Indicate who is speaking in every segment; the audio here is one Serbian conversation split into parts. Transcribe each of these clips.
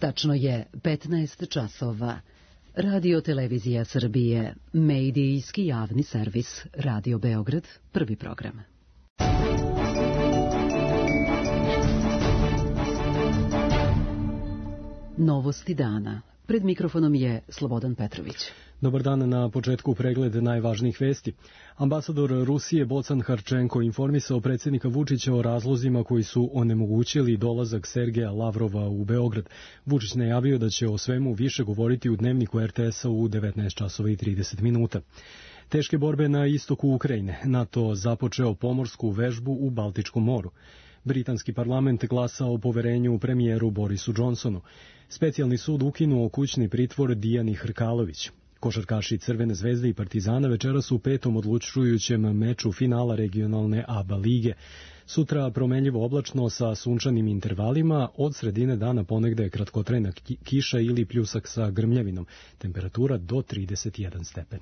Speaker 1: Tačno je 15 časova. Radio Televizija Srbije, medijski javni servis, Radio Beograd, prvi program. Novosti dana. Pred mikrofonom je Slobodan Petrović.
Speaker 2: Dobar dan, na početku pregled najvažnijih vesti. Ambasador Rusije Bocan Harčenko informisao predsjednika Vučića o razlozima koji su onemogućili dolazak Sergeja Lavrova u Beograd. Vučić najavio da će o svemu više govoriti u dnevniku RTS-a u 19 časova i 30 minuta. Teške borbe na istoku Ukrajine. NATO započeo pomorsku vežbu u Baltičkom moru. Britanski parlament glasa o poverenju premijeru Borisu Johnsonu. Specijalni sud ukinuo kućni pritvor Dijani Hrkalović. Košarkaši Crvene zvezde i Partizana večeras u petom odlučujućem meču finala regionalne ABA lige. Sutra promenljivo oblačno sa sunčanim intervalima, od sredine dana ponegde kratkotrajna kiša ili pljusak sa grmljavinom. Temperatura do 31 stepen.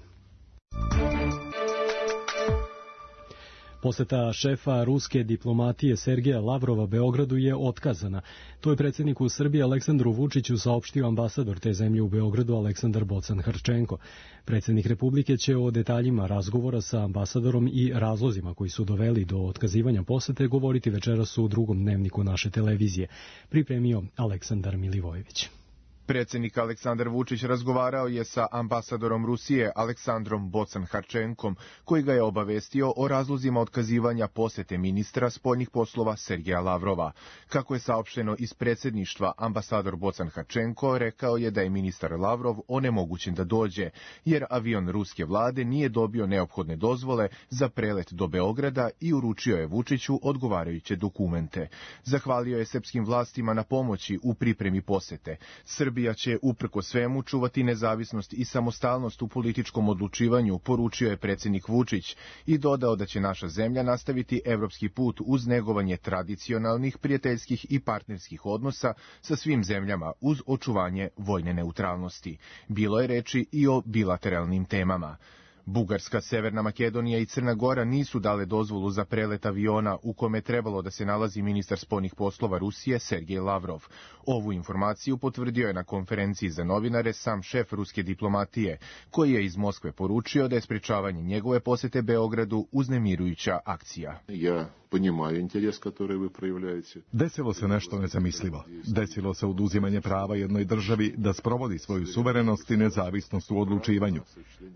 Speaker 2: Poseta šefa ruske diplomatije Sergeja Lavrova Beogradu je otkazana. To je predsjedniku Srbije Aleksandru Vučiću saopštio ambasador te zemlje u Beogradu Aleksandar Bocan Harčenko. Predsjednik Republike će o detaljima razgovora sa ambasadorom i razlozima koji su doveli do otkazivanja posete govoriti večeras u drugom dnevniku naše televizije, pripremio Aleksandar Milivojević.
Speaker 3: Predsjednik Aleksandar Vučić razgovarao je sa ambasadorom Rusije Aleksandrom Bocan Harčenkom, koji ga je obavestio o razlozima otkazivanja posete ministra spoljnih poslova Sergeja Lavrova. Kako je saopšteno iz predsjedništva, ambasador Bocan Harčenko rekao je da je ministar Lavrov onemogućen da dođe, jer avion ruske vlade nije dobio neophodne dozvole za prelet do Beograda i uručio je Vučiću odgovarajuće dokumente. Zahvalio je srpskim vlastima na pomoći u pripremi posete. Srbija će uprko svemu čuvati nezavisnost i samostalnost u političkom odlučivanju, poručio je predsjednik Vučić i dodao da će naša zemlja nastaviti evropski put uz negovanje tradicionalnih, prijateljskih i partnerskih odnosa sa svim zemljama uz očuvanje vojne neutralnosti. Bilo je reči i o bilateralnim temama. Bugarska, Severna Makedonija i Crna Gora nisu dale dozvolu za prelet aviona u kome je trebalo da se nalazi ministar spoljnih poslova Rusije Sergej Lavrov. Ovu informaciju potvrdio je na konferenciji za novinare sam šef ruske diplomatije, koji je iz Moskve poručio da je sprečavanje njegove posete Beogradu uznemirujuća akcija.
Speaker 4: Desilo se nešto nezamislivo. Desilo se oduzimanje prava jednoj državi da sprovodi svoju suverenost i nezavisnost u odlučivanju.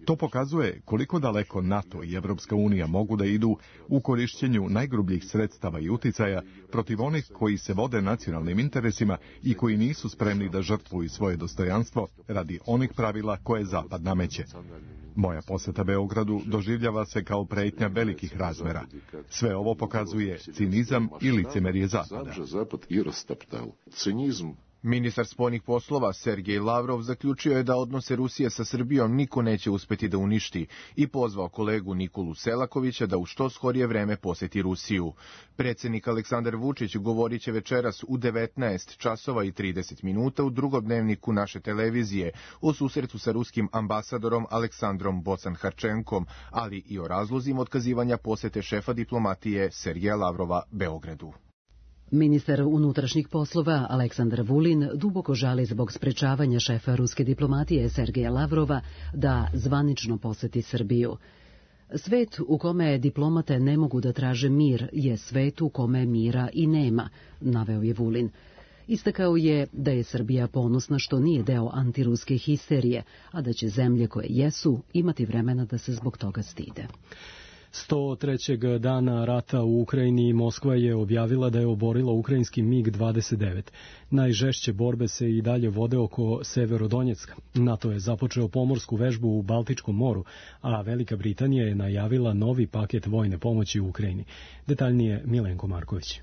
Speaker 4: To pokazuje koliko daleko NATO i Evropska unija mogu da idu u korišćenju najgrubljih sredstava i uticaja protiv onih koji se vode nacionalnim interesima i koji nisu spremni da žrtvuju svoje dostojanstvo radi onih pravila koje Zapad nameće. Moja poseta Beogradu doživljava se kao pretnja velikih razmera. Sve ovo pokazuje cinizam i licemerje Zapada.
Speaker 3: Ministar spoljnih poslova Sergej Lavrov zaključio je da odnose Rusije sa Srbijom niko neće uspeti da uništi i pozvao kolegu Nikolu Selakovića da u što skorije vreme poseti Rusiju. Predsjednik Aleksandar Vučić govorit će večeras u 19 časova i 30 minuta u drugom dnevniku naše televizije o susretu sa ruskim ambasadorom Aleksandrom Bocan Harčenkom, ali i o razlozima otkazivanja posete šefa diplomatije Sergeja Lavrova Beogradu.
Speaker 1: Ministar unutrašnjih poslova Aleksandar Vulin duboko žali zbog sprečavanja šefa ruske diplomatije Sergeja Lavrova da zvanično poseti Srbiju. Svet u kome diplomate ne mogu da traže mir je svet u kome mira i nema, naveo je Vulin. Istakao je da je Srbija ponosna što nije deo antiruske histerije, a da će zemlje koje jesu imati vremena da se zbog toga stide.
Speaker 2: 103. dana rata u Ukrajini Moskva je objavila da je oborila ukrajinski MiG-29. Najžešće borbe se i dalje vode oko Severodonjecka. NATO je započeo pomorsku vežbu u Baltičkom moru, a Velika Britanija je najavila novi paket vojne pomoći u Ukrajini. Detaljnije Milenko Marković.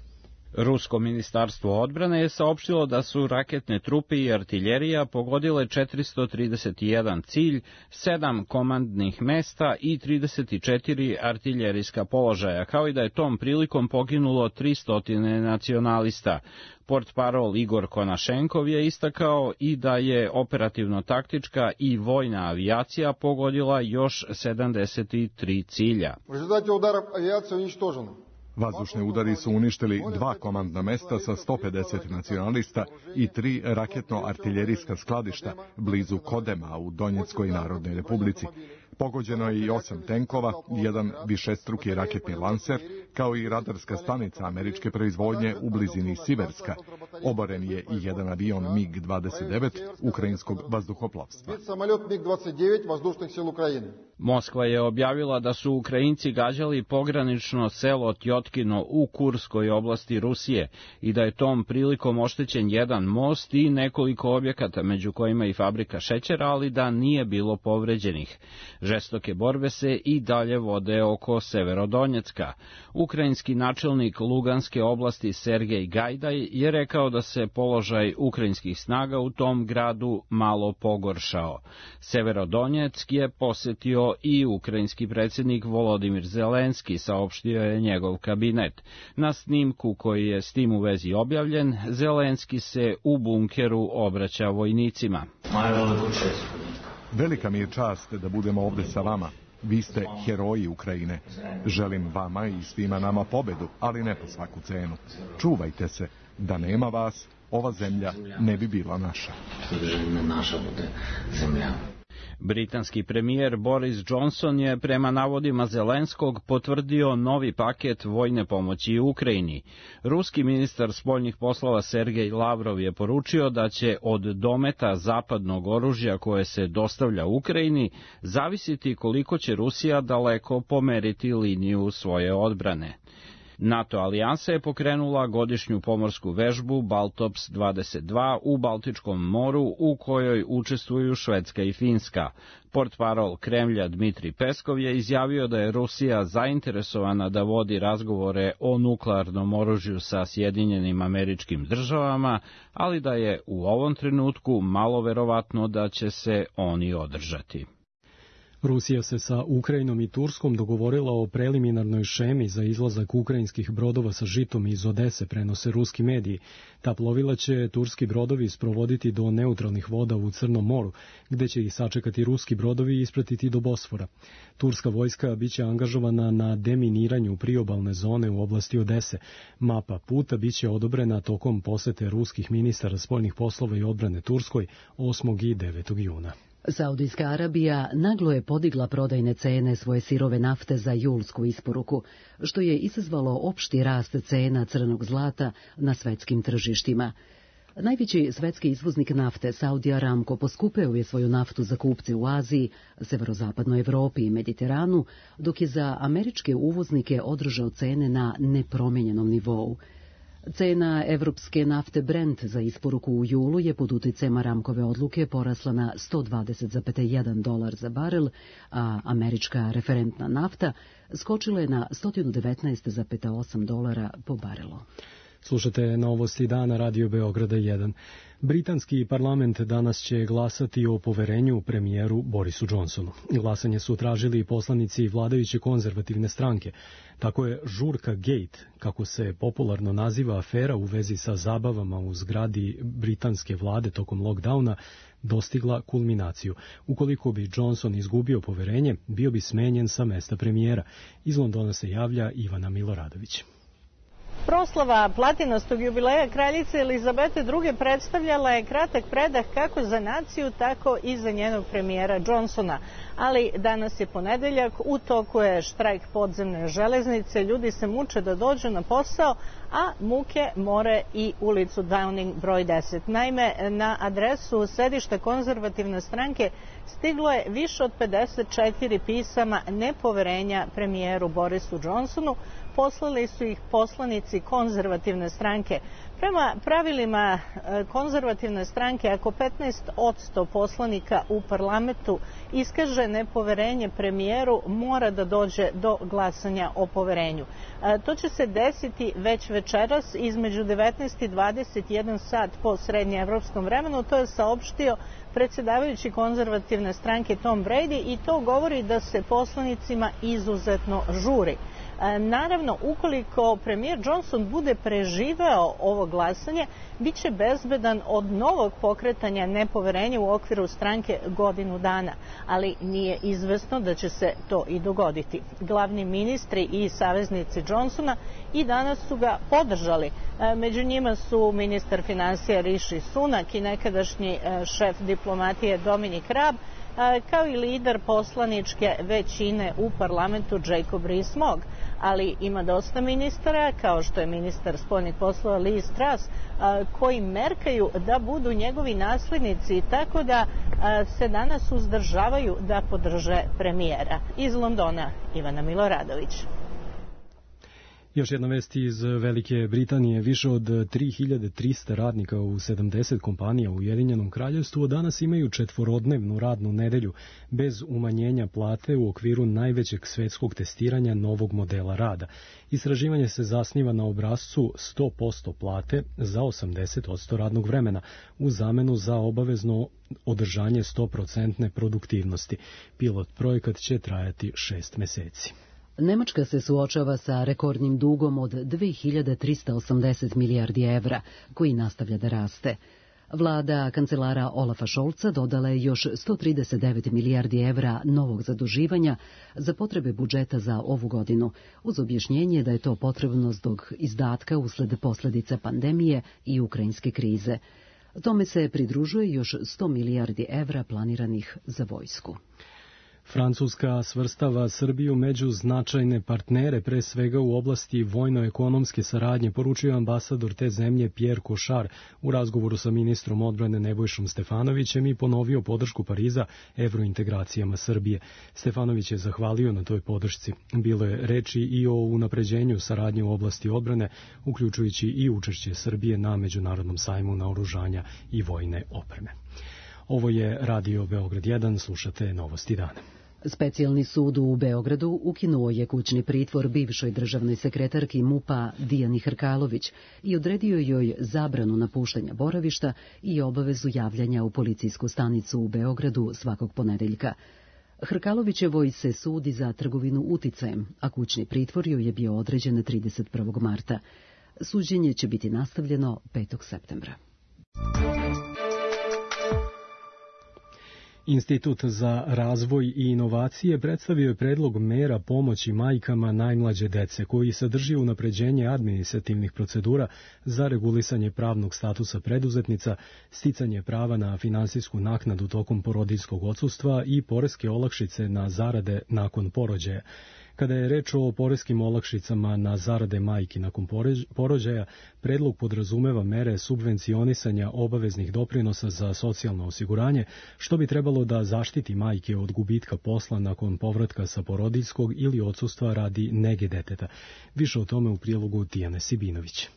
Speaker 5: Rusko ministarstvo odbrane je saopštilo da su raketne trupe i artiljerija pogodile 431 cilj, 7 komandnih mesta i 34 artiljerijska položaja, kao i da je tom prilikom poginulo 300 nacionalista. Portparol Igor Konašenkov je istakao i da je operativno-taktička i vojna avijacija pogodila još 73 cilja.
Speaker 6: U rezultatu udarov avijacija uništožena.
Speaker 4: Vazdušni udari su uništili 2 komandna mesta sa 150 nacionalista i 3 raketno-artiljerijska skladišta blizu Kodema u Donjeckoj Narodnoj Republici. Pogođeno je i 8 tenkova, 1 višestruki raketni lanser, kao i radarska stanica američke proizvodnje u blizini Siverska. Oboren je i 1 avion MiG-29 ukrajinskog vazduhoplovstva.
Speaker 5: Moskva je objavila da su Ukrajinci gađali pogranično selo Tjotkino u Kurskoj oblasti Rusije i da je tom prilikom oštećen jedan most i nekoliko objekata, među kojima i fabrika šećera, ali da nije bilo povređenih. Žestoke borbe se i dalje vode oko Severodonjecka. Ukrajinski načelnik Luganske oblasti Sergej Gajdaj je rekao da se položaj ukrajinskih snaga u tom gradu malo pogoršao. Severodonjeck je posetio i ukrajinski predsjednik Volodimir Zelenski, saopštio je njegov kabinet. Na snimku koji je s tim u vezi objavljen, Zelenski se u bunkeru obraća vojnicima.
Speaker 4: Velika mi je čast da budemo ovde sa vama. Vi ste heroji Ukrajine. Želim vama i svima nama pobedu, ali ne po svaku cenu. Čuvajte se, da nema vas, ova zemlja ne bi bila naša.
Speaker 5: Britanski premijer Boris Johnson je prema navodima Zelenskog potvrdio novi paket vojne pomoći Ukrajini. Ruski ministar spoljnih poslova Sergej Lavrov je poručio da će od dometa zapadnog oružja koje se dostavlja Ukrajini zavisiti koliko će Rusija daleko pomeriti liniju svoje odbrane. NATO alijansa je pokrenula godišnju pomorsku vežbu Baltops 22 u Baltičkom moru u kojoj učestvuju Švedska i Finska. Portparol Kremlja Dmitri Peskov je izjavio da je Rusija zainteresovana da vodi razgovore o nuklearnom oružju sa Sjedinjenim Američkim Državama, ali da je u ovom trenutku malo verovatno da će se oni održati.
Speaker 2: Rusija se sa Ukrajinom i Turskom dogovorila o preliminarnoj šemi za izlazak ukrajinskih brodova sa žitom iz Odese, prenose ruski mediji. Ta plovila će turski brodovi sprovoditi do neutralnih voda u Crnom moru, gde će ih sačekati ruski brodovi i ispratiti do Bosfora. Turska vojska biće angažovana na deminiranju priobalne zone u oblasti Odese. Mapa puta biće odobrena tokom posete ruskih ministara spoljnih poslova i odbrane Turskoj 8. i 9. juna.
Speaker 1: Saudijska Arabija naglo je podigla prodajne cene svoje sirove nafte za julsku isporuku, što je izazvalo opšti rast cena crnog zlata na svetskim tržištima. Najveći svetski izvoznik nafte, Saudi Aramco, poskupeo je svoju naftu za kupce u Aziji, severozapadnoj Evropi i Mediteranu, dok je za američke uvoznike održao cene na nepromenjenom nivou. Cena evropske nafte Brent za isporuku u julu je pod uticajem Aramkove odluke porasla na $120,1 za barel, a američka referentna nafta skočila je na $119,8 po barelu.
Speaker 2: Slušate novosti dana Radio Beograda 1. Britanski parlament danas će glasati o poverenju premijeru Borisu Johnsonu. Glasanje su tražili poslanici vladajuće konzervativne stranke. Tako je žurka Gate, kako se popularno naziva afera u vezi sa zabavama u zgradi britanske vlade tokom lockdowna, dostigla kulminaciju. Ukoliko bi Johnson izgubio poverenje, bio bi smenjen sa mesta premijera. Iz Londona se javlja Ivana Miloradović.
Speaker 6: Proslava platinastog jubileja kraljice Elizabete II. Predstavljala je kratak predah kako za naciju, tako i za njenog premijera Johnsona. Ali danas je ponedeljak, u toku je štrajk podzemne železnice, ljudi se muče da dođu na posao, a muke more i ulicu Downing broj 10. Naime, na adresu sedišta konzervativne stranke stiglo je više od 54 pisama nepoverenja premijeru Borisu Johnsonu. Poslali su ih poslanici konzervativne stranke. Prema pravilima konzervativne stranke, ako 15% poslanika u parlamentu iskaže nepoverenje premijeru, mora da dođe do glasanja o poverenju. To će se desiti već večeras između 19 i 21 sat po srednjeevropskom vremenu. To je saopštio predsjedavajući konzervativne stranke Tom Brady i to govori da se poslanicima izuzetno žuri. Naravno, ukoliko premijer Johnson bude preživeo ovo glasanje, bit će bezbedan od novog pokretanja nepoverenja u okviru stranke godinu dana, ali nije izvesno da će se to i dogoditi. Glavni ministri i saveznici Johnsona i danas su ga podržali. Među njima su ministar finansija Rishi Sunak i nekadašnji šef diplomatije Dominic Raab, kao i lider poslaničke većine u parlamentu Jacob Rees-Mogg. Ali ima dosta ministara, kao što je ministar spoljnih poslova Liz Truss, koji merkaju da budu njegovi naslednici, tako da se danas uzdržavaju da podrže premijera. Iz Londona, Ivana Miloradović.
Speaker 2: Još jedna vest iz Velike Britanije. Više od 3300 radnika u 70 kompanija u Ujedinjenom Kraljevstvu danas imaju četvorodnevnu radnu nedelju bez umanjenja plate u okviru najvećeg svetskog testiranja novog modela rada. Istraživanje se zasniva na obrascu 100% plate za 80% radnog vremena u zamenu za obavezno održanje 100% produktivnosti. Pilot projekat će trajati 6 meseci.
Speaker 1: Nemačka se suočava sa rekordnim dugom od 2380 milijardi evra, koji nastavlja da raste. Vlada kancelara Olafa Scholza dodala je još 139 milijardi evra novog zaduživanja za potrebe budžeta za ovu godinu, uz objašnjenje da je to potrebno zbog izdatka usled posledica pandemije i ukrajinske krize. Tome se pridružuje još 100 milijardi evra planiranih za vojsku.
Speaker 2: Francuska svrstava Srbiju među značajne partnere, pre svega u oblasti vojno-ekonomske saradnje, poručio ambasador te zemlje Pierre Cochard u razgovoru sa ministrom odbrane Nebojšom Stefanovićem i ponovio podršku Pariza evrointegracijama Srbije. Stefanović je zahvalio na toj podršci. Bilo je reči i o unapređenju saradnje u oblasti odbrane, uključujući i učešće Srbije na Međunarodnom sajmu naoružanja i vojne opreme. Ovo je Radio Beograd 1, slušate Novosti dana.
Speaker 1: Specijalni sud u Beogradu ukinuo je kućni pritvor bivšoj državnoj sekretarki MUP-a Dijani Hrkalović i odredio joj zabranu napuštanja boravišta i obavezu javljanja u policijsku stanicu u Beogradu svakog ponedeljka. Hrkalovićevoj se sudi za trgovinu uticajem, a kućni pritvor joj je bio određen 31. marta. Suđenje će biti nastavljeno 5. septembra.
Speaker 2: Institut za razvoj i inovacije predstavio je predlog mera pomoći majkama najmlađe dece, koji sadrži unapređenje administrativnih procedura za regulisanje pravnog statusa preduzetnica, sticanje prava na finansijsku naknadu tokom porodiljskog odsustva i poreske olakšice na zarade nakon porođaja. Kada je reč o poreskim olakšicama na zarade majki nakon porođaja, predlog podrazumeva mere subvencionisanja obaveznih doprinosa za socijalno osiguranje, što bi trebalo da zaštiti majke od gubitka posla nakon povratka sa porodiljskog ili odsustva radi nege deteta. Više o tome u prilogu Tijane Sibinović.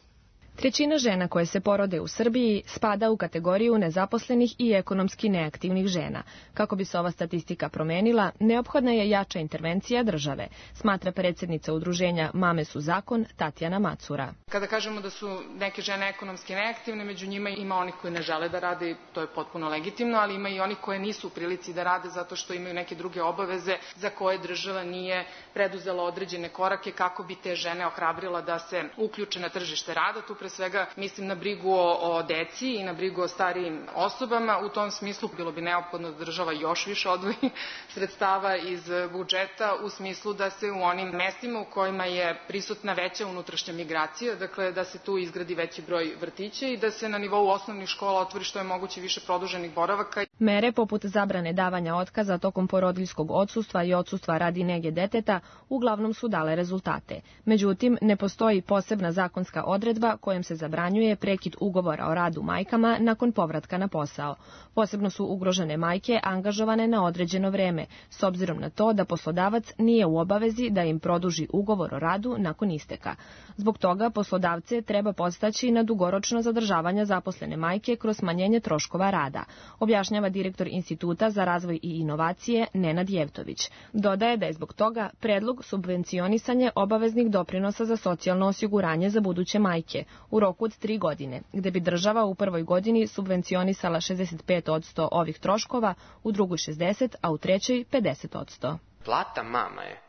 Speaker 7: 1/3 žena koje se porode u Srbiji spada u kategoriju nezaposlenih i ekonomski neaktivnih žena. Kako bi se ova statistika promenila, neophodna je jača intervencija države, smatra predsjednica udruženja Mame su zakon Tatjana Macura.
Speaker 8: Kada kažemo da su neke žene ekonomski neaktivne, među njima ima onih koji ne žele da rade, to je potpuno legitimno, ali ima i onih koje nisu u prilici da rade zato što imaju neke druge obaveze za koje država nije preduzela određene korake kako bi te žene ohrabrila da se uključe na tržište rada. Tu pre svega mislim na brigu o deci i na brigu o starijim osobama. U tom smislu bilo bi neophodno da država još više odvoji sredstava iz budžeta u smislu da se u onim mestima u kojima je prisutna veća unutrašnja migracija, dakle da se tu izgradi veći broj vrtića i da se na nivou osnovnih škola otvori što je moguće više produženih boravaka.
Speaker 7: Mere poput zabrane davanja otkaza tokom porodiljskog odsustva i odsustva radi nege deteta uglavnom su dale rezultate. Međutim, ne postoji posebna zakonska odredba kojom se zabranjuje prekid ugovora o radu majkama nakon povratka na posao. Posebno su ugrožene majke angažovane na određeno vreme, s obzirom na to da poslodavac nije u obavezi da im produži ugovor o radu nakon isteka. Zbog toga poslodavce treba podstaći na dugoročno zadržavanje zaposlene majke kroz smanjenje troškova rada, objašnjava direktor Instituta za razvoj i inovacije Nenad Jevtović. Dodaje da je zbog toga predlog subvencionisanje obaveznih doprinosa za socijalno osiguranje za buduće majke u roku od 3 godine, gde bi država u prvoj godini subvencionisala 65% ovih troškova, u drugoj 60%, a u trećoj 50%.
Speaker 9: Plata mama je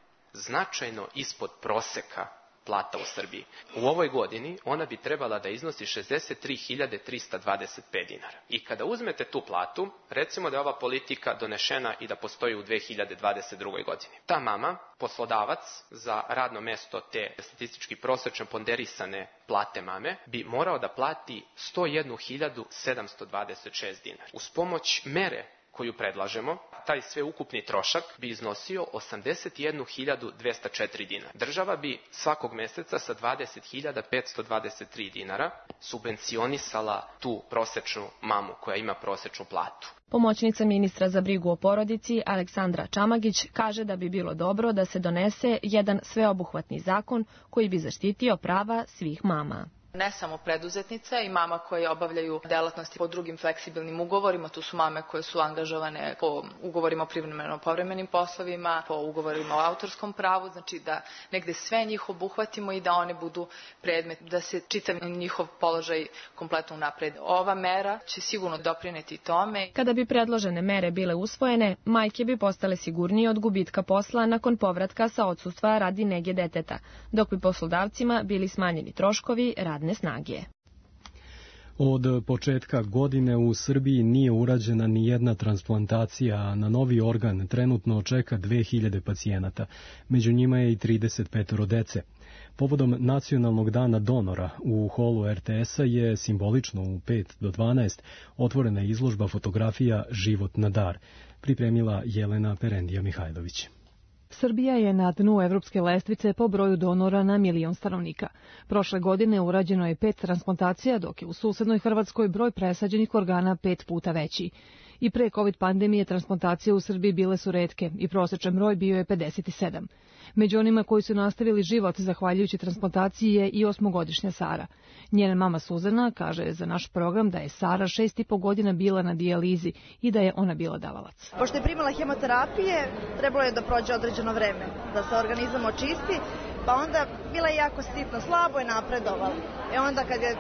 Speaker 9: značajno ispod proseka plata u Srbiji. U ovoj godini ona bi trebala da iznosi 63.325 dinara. I kada uzmete tu platu, recimo da je ova politika donešena i da postoji u 2022. godini. Ta mama, poslodavac za radno mesto te statistički prosečno ponderisane plate mame, bi morao da plati 101.726 dinara. Uz pomoć mere koju predlažemo, taj sve ukupni trošak bi iznosio 81.204 dinara. Država bi svakog meseca sa 20.523 dinara subvencionisala tu prosečnu mamu koja ima prosečnu platu.
Speaker 7: Pomoćnica ministra za brigu o porodici Aleksandra Čamagić kaže da bi bilo dobro da se donese jedan sveobuhvatni zakon koji bi zaštitio prava svih mama.
Speaker 10: Ne samo preduzetnica i mama koje obavljaju delatnosti po drugim fleksibilnim ugovorima, tu su mame koje su angažovane po ugovorima o privremeno-povremenim poslovima, po ugovorima o autorskom pravu, znači da negde sve njih obuhvatimo i da one budu predmet, da se čitav njihov položaj kompletno unapred. Ova mera će sigurno doprineti tome.
Speaker 7: Kada bi predložene mere bile usvojene, majke bi postale sigurnije od gubitka posla nakon povratka sa odsustva radi nege deteta, dok bi poslodavcima bili smanjeni troškovi radne snage.
Speaker 2: Od početka godine u Srbiji nije urađena ni jedna transplantacija, a na novi organ trenutno čeka 2000 pacijenata. Među njima je i 35 dece. Povodom Nacionalnog dana donora u holu RTS-a je simbolično u 5 do 12 otvorena izložba fotografija Život na dar, pripremila Jelena Perendija Mihajlović.
Speaker 11: Srbija je na dnu evropske lestvice po broju donora na milion stanovnika. Prošle godine urađeno je 5 transplantacija, dok je u susednoj Hrvatskoj broj presađenih organa 5 puta veći. I pre COVID pandemije transplantacije u Srbiji bile su retke i prosječan broj bio je 57. Među onima koji su nastavili život zahvaljujući transplantaciji je i 8-godišnja Sara. Njena mama Suzana kaže za naš program da je Sara 6,5 godina bila na dijalizi i da je ona bila davalac.
Speaker 12: Pošto je primala hemoterapije, trebalo je da prođe određeno vreme, da se organizam očisti, pa onda bila je jako sitna, slabo je napredovala. Onda kad je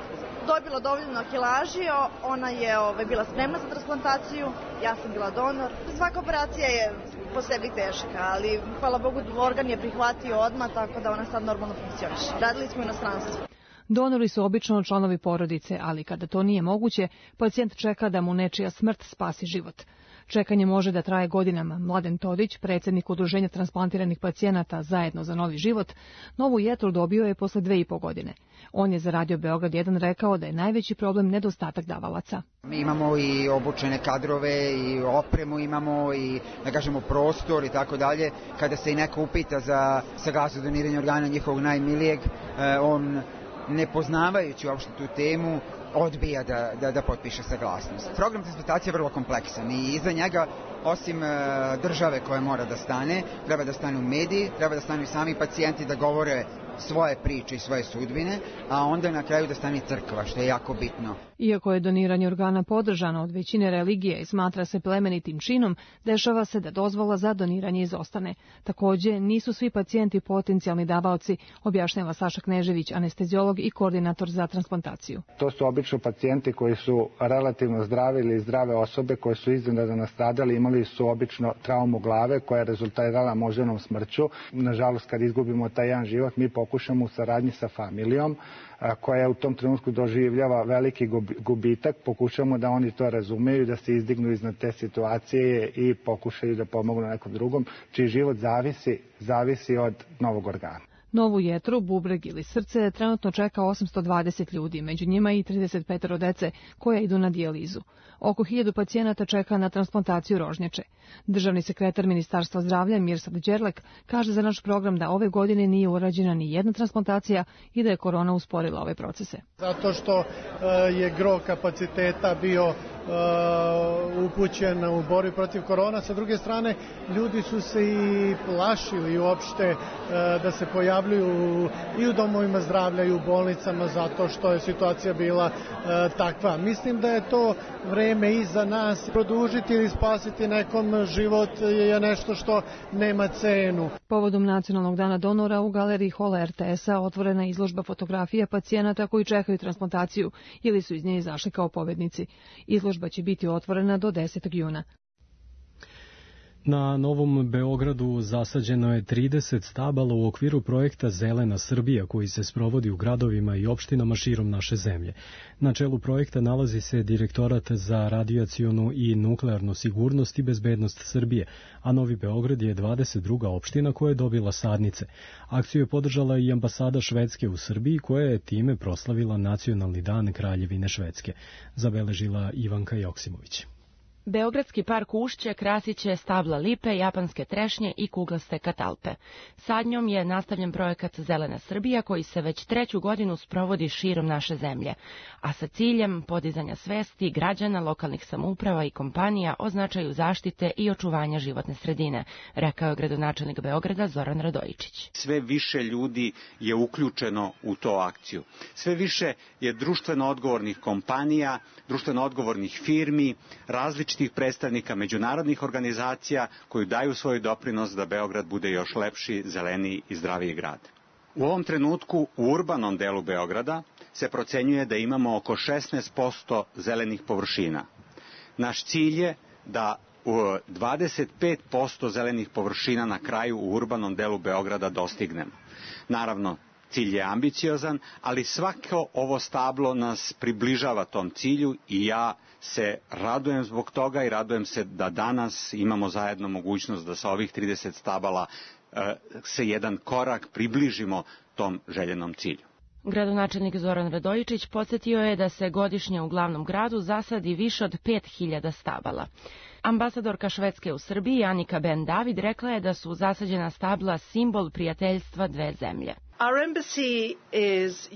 Speaker 12: dobila dovoljno kilaži, ona je bila spremna za transplantaciju, ja sam bila donor. Svaka operacija je po sebi teška, ali hvala Bogu organ je prihvatio odmah, tako da ona sad normalno funkcioniše. Radili smo u inostranstvu.
Speaker 11: Donori su obično članovi porodice, ali kada to nije moguće, pacijent čeka da mu nečija smrt spasi život. Čekanje može da traje godinama. Mladen Todić, predsjednik Udruženja transplantiranih pacijenata Zajedno za novi život, novu jetru dobio je posle 2,5 godine. On je za Radio Beograd 1 rekao da je najveći problem nedostatak davalaca.
Speaker 13: Mi imamo i obučene kadrove i opremu imamo i, da kažemo, prostor i tako dalje. Kada se i neko upita za saglasnost doniranja organa njihovog najmilijeg, on, ne poznavajući uopšte tu temu, odbija da potpiše saglasnost. Program transplantacije je vrlo kompleksan i iza njega, osim države koja mora da stane, treba da stanu mediji, treba da stanu i sami pacijenti da govore svoje priče i svoje sudbine, a onda na kraju da stane crkva, što je jako bitno.
Speaker 11: Iako je doniranje organa podržano od većine religije i smatra se plemenitim činom, dešava se da dozvola za doniranje izostane. Takođe, nisu svi pacijenti potencijalni davaoci, objašnjava Saša Knežević, anesteziolog i koordinator za transplantaciju.
Speaker 14: To su obično pacijenti koji su relativno zdravi ili zdrave osobe koje su iznenadno nastradali, imali su obično traumu glave koja je rezultirala moždanom smrću. Nažalost, kad izgubimo taj jedan život, mi pokušamo u saradnji sa familijom koja u tom trenutku doživljava veliki gubitak, pokušamo da oni to razumeju, da se izdignu iznad te situacije i pokušaju da pomognu nekom drugom, čiji život zavisi od novog organa.
Speaker 11: Novu jetru, bubreg ili srce trenutno čeka 820 ljudi, među njima i 35 dece koje idu na dijalizu. Oko 1000 pacijenata čeka na transplantaciju rožnjače. Državni sekretar Ministarstva zdravlja Mirsad Đerlek kaže za naš program da ove godine nije urađena ni jedna transplantacija i da je korona usporila ove procese.
Speaker 15: Zato što je gro kapaciteta bio upućen u borbi protiv korona. Sa druge strane, ljudi su se i plašili uopšte da se pojavljuju i u domovima zdravlja i u bolnicama zato što je situacija bila takva. Mislim da je to vreme i za nas. Produžiti ili spasiti nekom život je nešto što nema cenu.
Speaker 11: Povodom Nacionalnog dana donora u galeriji hola RTS-a otvorena je izložba fotografija pacijenata koji čekaju transplantaciju ili su iz nje izašli kao pobednici. Izložba će biti otvorena do 10. juna.
Speaker 2: Na Novom Beogradu zasađeno je 30 stabala u okviru projekta Zelena Srbija koji se sprovodi u gradovima i opštinama širom naše zemlje. Na čelu projekta nalazi se Direktorat za radijacionu i nuklearnu sigurnost i bezbednost Srbije, a Novi Beograd je 22. opština koja je dobila sadnice. Akciju je podržala i ambasada Švedske u Srbiji koja je time proslavila Nacionalni dan Kraljevine Švedske, zabeležila Ivanka Joksimović.
Speaker 16: Beogradski park Ušće krasit će stabla lipe, japanske trešnje i kuglaste katalpe. Sadnjom je nastavljen projekat Zelena Srbija koji se već 3. godinu sprovodi širom naše zemlje, a sa ciljem podizanja svesti građana, lokalnih samouprava i kompanija o značaju zaštite i očuvanja životne sredine, rekao je gradonačelnik Beograda Zoran Radojičić.
Speaker 17: Sve više ljudi je uključeno u tu akciju. Sve više je društveno odgovornih kompanija, društveno odgovornih firmi, različitih predstavnika međunarodnih organizacija koji daju svoj doprinos da Beograd bude još lepši, zeleniji i zdraviji grad. U ovom trenutku u urbanom delu Beograda se procenjuje da imamo oko 16% zelenih površina. Naš cilj je da 25% zelenih površina na kraju u urbanom delu Beograda dostignemo. Naravno, cilj je ambiciozan, ali svako ovo stablo nas približava tom cilju i ja se radujem zbog toga i radujem se da danas imamo zajedno mogućnost da sa ovih 30 stabala se jedan korak približimo tom željenom cilju.
Speaker 16: Gradonačelnik Zoran Radojičić podsjetio je da se godišnje u glavnom gradu zasadi više od 5000 stabala. Ambasadorka Švedske u Srbiji Anika Ben David rekla je da su zasađena stabla simbol prijateljstva dve zemlje.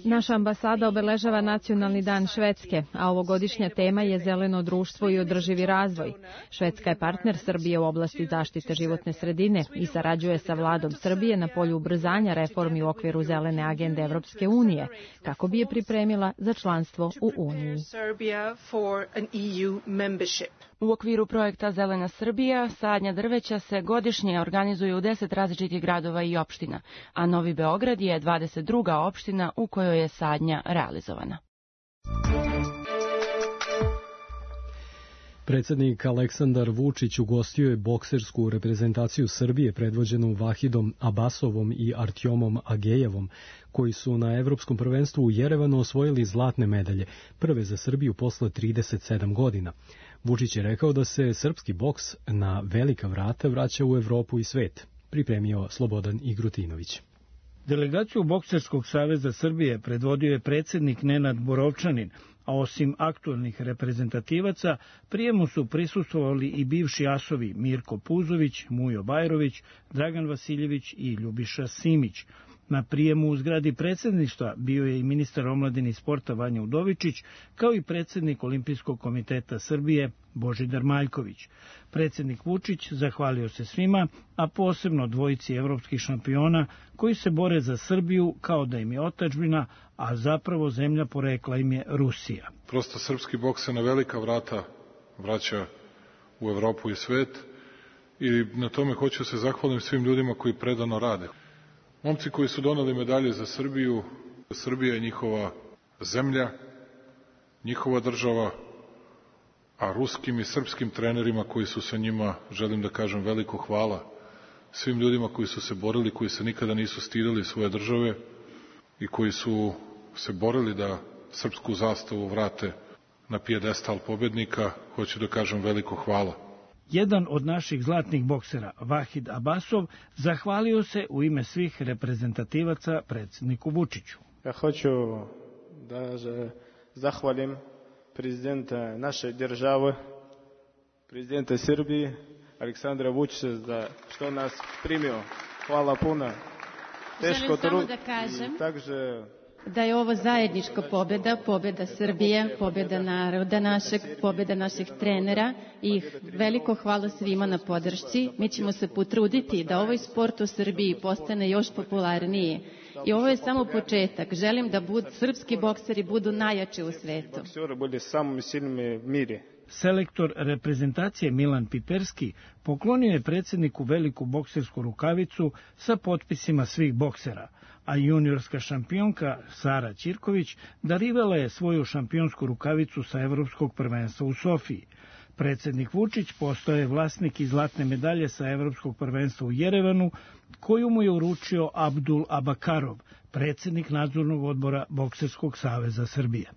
Speaker 11: Naša ambasada obeležava Nacionalni dan Švedske, a ovogodišnja tema je zeleno društvo i održivi razvoj. Švedska je partner Srbije u oblasti zaštite životne sredine i sarađuje sa vladom Srbije na polju ubrzanja reformi u okviru zelene agende Evropske unije, kako bi je pripremila za članstvo u Uniji.
Speaker 16: U okviru projekta Zelena Srbija sadnja drveća se godišnje organizuje u 10 različitih gradova i opština, a Novi Beograd je 22. opština u kojoj je sadnja realizovana.
Speaker 2: Predsjednik Aleksandar Vučić ugostio je boksersku reprezentaciju Srbije predvođenu Vahidom Abasovom i Artjomom Agejevom, koji su na Evropskom prvenstvu u Jerevanu osvojili zlatne medalje, prve za Srbiju posle 37 godina. Vučić je rekao da se srpski boks na velika vrata vraća u Evropu i svet, pripremio Slobodan Igrutinović.
Speaker 18: Delegaciju Bokserskog saveza Srbije predvodio je predsjednik Nenad Borovčanin, a osim aktualnih reprezentativaca, prijemu su prisustvovali i bivši asovi Mirko Puzović, Mujo Bajrović, Dragan Vasiljević i Ljubiša Simić. Na prijemu u zgradi predsjedništva bio je i ministar omladine i sporta Vanja Udovičić, kao i predsjednik Olimpijskog komiteta Srbije Božidar Maljković. Predsjednik Vučić zahvalio se svima, a posebno dvojici evropskih šampiona koji se bore za Srbiju kao da im je otadžbina, a zapravo zemlja porekla im je Rusija.
Speaker 19: Prosto srpski boks se na velika vrata vraća u Evropu i svet i na tome hoću se zahvalim svim ljudima koji predano rade. Momci koji su doneli medalje za Srbiju, Srbija je njihova zemlja, njihova država, a ruskim i srpskim trenerima koji su sa njima, želim da kažem veliko hvala svim ljudima koji su se borili, koji se nikada nisu stideli svoje države i koji su se borili da srpsku zastavu vrate na pijedestal pobednika, hoću da kažem veliko hvala.
Speaker 18: Jedan od naših zlatnih boksera, Vahid Abasov, zahvalio se u ime svih reprezentativaca predsjedniku Vučiću.
Speaker 20: Ja hoću da zahvalim prezidenta naše države, prezidenta Srbije, Aleksandra Vučića, za što nas primio. Hvala puno.
Speaker 21: Želim samo da kažem da je ovo zajednička pobjeda, pobjeda Srbije, pobjeda naroda našeg, pobjeda naših trenera i veliko hvala svima na podršci. Mi ćemo se potruditi da ovaj sport u Srbiji postane još popularniji. I ovo je samo početak. Želim da srpski bokseri budu najjači u svetu.
Speaker 20: Bokseri budu samo silni u miru.
Speaker 18: Selektor reprezentacije Milan Piperski poklonio je predsjedniku veliku boksersku rukavicu sa potpisima svih boksera, a juniorska šampionka Sara Ćirković darivala je svoju šampionsku rukavicu sa Evropskog prvenstva u Sofiji. Predsjednik Vučić postao je vlasnik i zlatne medalje sa Evropskog prvenstva u Jerevanu, koju mu je uručio Abdul Abakarov, predsjednik nadzornog odbora Bokserskog saveza Srbije.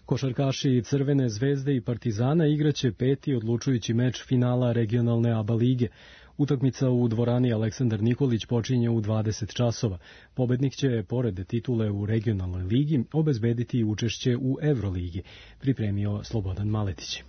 Speaker 2: Košarkaši Crvene zvezde i Partizana igraće 5. odlučujući meč finala regionalne ABA lige. Utakmica u dvorani Aleksandar Nikolić počinje u 20 časova. Pobednik će, pored titule u regionalnoj ligi, obezbediti učešće u Evroligi, pripremio Slobodan Maletić.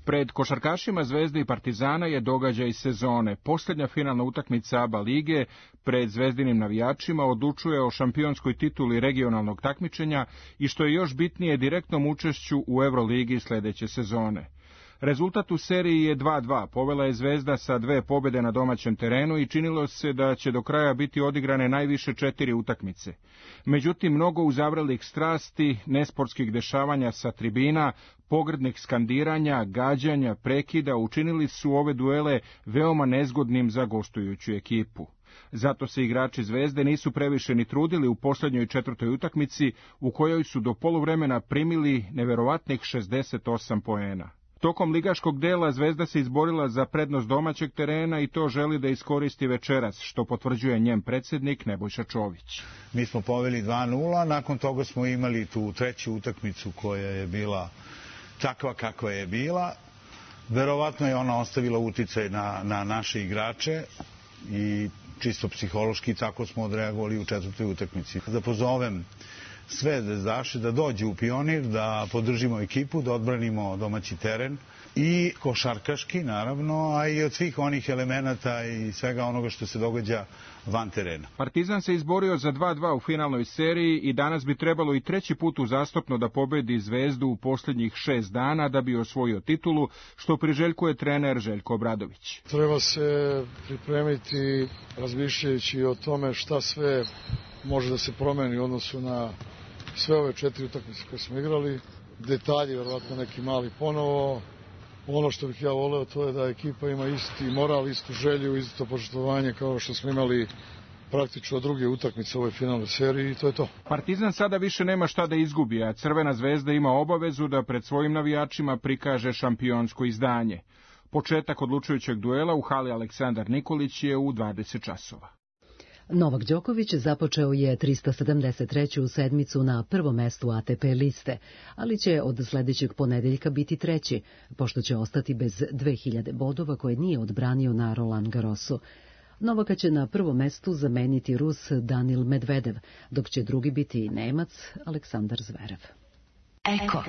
Speaker 3: Pred košarkašima Zvezde i Partizana je događaj sezone. Posljednja finalna utakmica ABA lige pred zvezdinim navijačima odlučuje o šampionskoj tituli regionalnog takmičenja i što je još bitnije direktnom učešću u Evroligi sljedeće sezone. Rezultat u seriji je 2:2. Povela je Zvezda sa 2 pobjede na domaćem terenu i činilo se da će do kraja biti odigrane najviše 4 utakmice. Međutim, mnogo uzavrelih strasti, nesportskih dešavanja sa tribina, pogrdnih skandiranja, gađanja, prekida učinili su ove duele veoma nezgodnim za gostujuću ekipu. Zato se igrači Zvezde nisu previše ni trudili u posljednjoj 4. utakmici, u kojoj su do poluvremena primili neverovatnih 68 poena. Tokom ligaškog dela Zvezda se izborila za prednost domaćeg terena i to želi da iskoristi večeras, što potvrđuje njen predsjednik Nebojša Čović.
Speaker 22: Mi smo poveli 2:0, nakon toga smo imali tu treću utakmicu koja je bila takva kakva je bila. Verovatno je ona ostavila uticaj na naše igrače i čisto psihološki tako smo odreagovali u 4. utakmici. Da pozovem sve zvezdaše da dođu u Pionir, da podržimo ekipu, da odbranimo domaći teren i košarkaški naravno, a i od svih onih elemenata i svega onoga što se događa van terena.
Speaker 3: Partizan se izborio za 2:2 u finalnoj seriji i danas bi trebalo i 3. put uzastopno da pobedi Zvezdu u posljednjih 6 dana da bi osvojio titulu, što priželjkuje trener Željko Obradović.
Speaker 23: Treba se pripremiti razmišljajući o tome šta sve može da se promeni u odnosu na sve ove 4 utakmice koje smo igrali. Detalji, verovatno neki mali ponovo. Ono što bih ja voleo to je da ekipa ima isti moral, istu želju, isto poštovanje kao što smo imali praktično od 2. utakmice u ovoj finalnoj seriji i to je to.
Speaker 3: Partizan sada više nema šta da izgubi, a Crvena zvezda ima obavezu da pred svojim navijačima prikaže šampionsko izdanje. Početak odlučujućeg duela u hali Aleksandar Nikolić je u 20 časova.
Speaker 1: Novak Đoković započeo je 373. sedmicu na prvom mestu ATP liste, ali će od sljedećeg ponedeljka biti 3., pošto će ostati bez 2000 bodova koje nije odbranio na Roland Garrosu. Novaka će na prvom mestu zameniti Rus Danil Medvedev, dok će drugi biti Nemac Aleksandar Zverev.
Speaker 24: Eko.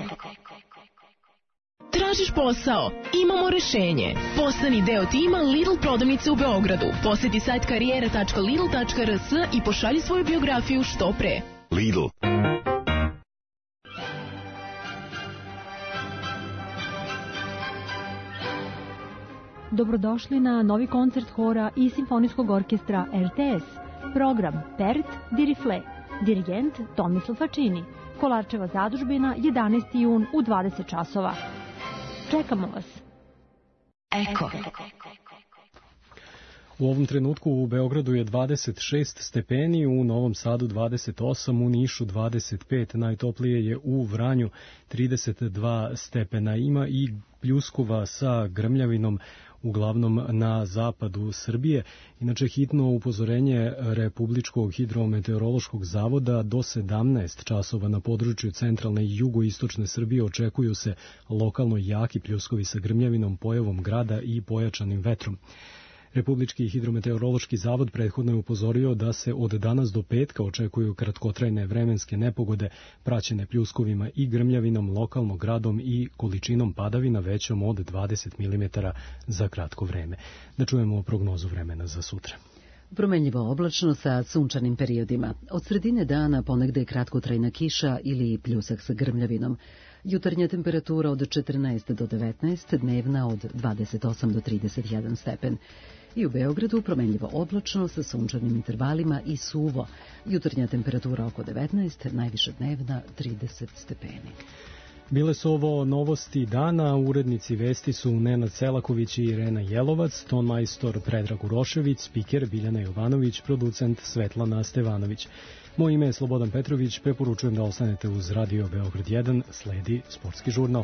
Speaker 24: Tražiš posao? Imamo rešenje. Postani deo tima Lidl prodavnice u Beogradu. Poseti sajt karijera.lidl.rs i pošalji svoju biografiju što pre.
Speaker 25: Lidl.
Speaker 26: Dobrodošli na novi koncert hora i simfonijskog orkestra RTS. Program Pert di Rifle. Dirigent Tomislav Facini. Kolarčeva zadužbina 11. jun u 20 časova. Čekamo vas.
Speaker 24: Eko.
Speaker 2: U ovom trenutku u Beogradu je 26 stepeni, u Novom Sadu 28, u Nišu 25, najtoplije je u Vranju 32 stepena. Ima i pljuskova sa grmljavinom, uglavnom na zapadu Srbije. Inače, hitno upozorenje Republičkog hidrometeorološkog zavoda do 17 časova na području centralne i jugoistočne Srbije očekuju se lokalno jaki pljuskovi sa grmljavinom, pojavom grada i pojačanim vetrom. Republički hidrometeorološki zavod prethodno je upozorio da se od danas do petka očekuju kratkotrajne vremenske nepogode praćene pljuskovima i grmljavinom, lokalno gradom i količinom padavina većom od 20 mm za kratko vreme. Da čujemo prognozu vremena za sutra.
Speaker 1: Promenljivo oblačno sa sunčanim periodima. Od sredine dana ponegde kratkotrajna kiša ili pljusak sa grmljavinom. Jutarnja temperatura od 14 do 19, dnevna od 28 do 31 stepen. I u Beogradu promenljivo oblačno sa sunčanim intervalima i suvo. Jutarnja temperatura oko 19, najviša dnevna 30 stepeni.
Speaker 2: Bile su ovo novosti dana, urednici vesti su Nenad Selaković i Irena Jelovac, tonmajstor Predrag Urošević, spiker Biljana Jovanović, producent Svetlana Stevanović. Moje ime je Slobodan Petrović, preporučujem da ostanete uz Radio Beograd 1, sledi sportski žurnal.